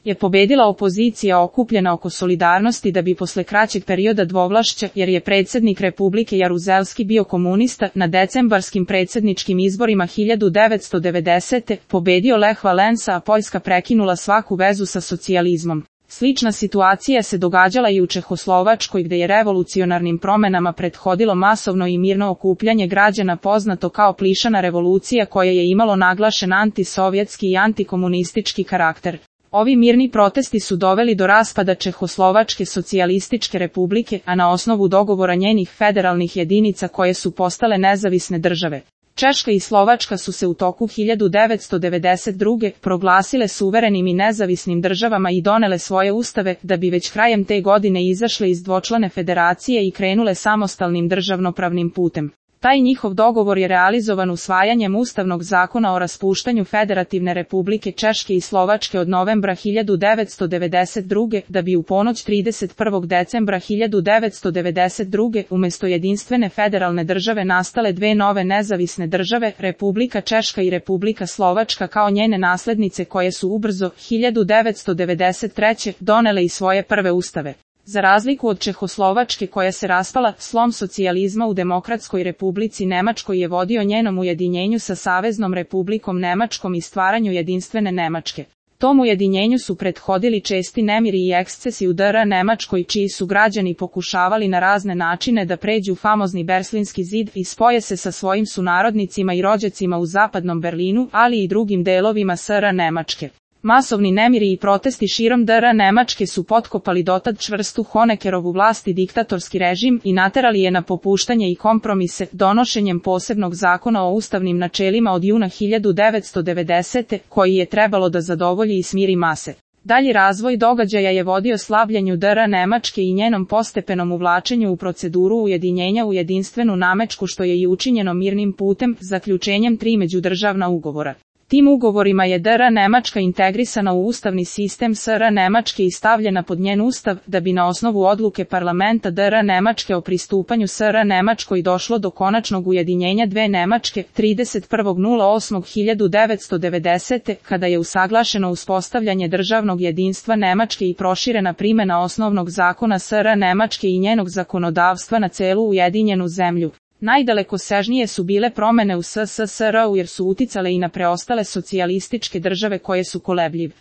je pobedila opozicija okupljena oko solidarnosti da bi posle kraćeg perioda dvovlašća, jer je predsjednik Republike Jaruzelski bio komunista, na decembarskim predsjedničkim izborima 1990. pobedio Lech Valensa, a Poljska prekinula svaku vezu sa socijalizmom. Slična situacija se događala i u Čehoslovačkoj, gde je revolucionarnim promenama prethodilo masovno i mirno okupljanje građana poznato kao Plišana revolucija, koja je imalo naglašen antisovjetski i antikomunistički karakter. Ovi mirni protesti su doveli do raspada Čehoslovačke socijalističke republike, a na osnovu dogovora njenih federalnih jedinica koje su postale nezavisne države. Češka i Slovačka su se u toku 1992. proglasile suverenim i nezavisnim državama i donele svoje ustave, da bi već krajem te godine izašle iz dvočlane federacije i krenule samostalnim državnopravnim putem. Taj njihov dogovor je realizovan usvajanjem Ustavnog zakona o raspuštanju Federativne republike Češke i Slovačke od novembra 1992. da bi u ponoć 31. decembra 1992. umjesto jedinstvene federalne države nastale dve nove nezavisne države, Republika Češka i Republika Slovačka kao njene naslednice, koje su ubrzo 1993. donele i svoje prve ustave. Za razliku od Čehoslovačke, koja se raspala, slom socijalizma u Demokratskoj Republici Nemačkoj je vodio njenom ujedinjenju sa Saveznom Republikom Nemačkom i stvaranju jedinstvene Nemačke. Tom ujedinjenju su prethodili česti nemiri i ekscesi u DR Nemačkoj, čiji su građani pokušavali na razne načine da pređu famozni Berlinski zid i spoje se sa svojim sunarodnicima i rođacima u zapadnom Berlinu, ali i drugim delovima SR Nemačke. Masovni nemiri i protesti širom DR Nemačke su potkopali dotad čvrstu Honeckerovu vlast i diktatorski režim i naterali je na popuštanje i kompromise, donošenjem posebnog zakona o ustavnim načelima od juna 1990. koji je trebalo da zadovolji i smiri mase. Dalji razvoj događaja je vodio slabljenju DR Nemačke i njenom postepenom uvlačenju u proceduru ujedinjenja u jedinstvenu Nemačku, što je i učinjeno mirnim putem, zaključenjem 3 međudržavna ugovora. Tim ugovorima je DR Nemačka integrisana u ustavni sistem SR Nemačke i stavljena pod njen ustav, da bi na osnovu odluke parlamenta DR Nemačke o pristupanju SR Nemačkoj došlo do konačnog ujedinjenja dve Nemačke 31.08.1990. kada je usaglašeno uspostavljanje državnog jedinstva Nemačke i proširena primjena osnovnog zakona SR Nemačke i njenog zakonodavstva na celu ujedinjenu zemlju. Najdalekosežnije su bile promjene u SSSR-u jer su uticale i na preostale socijalističke države koje su kolebljive.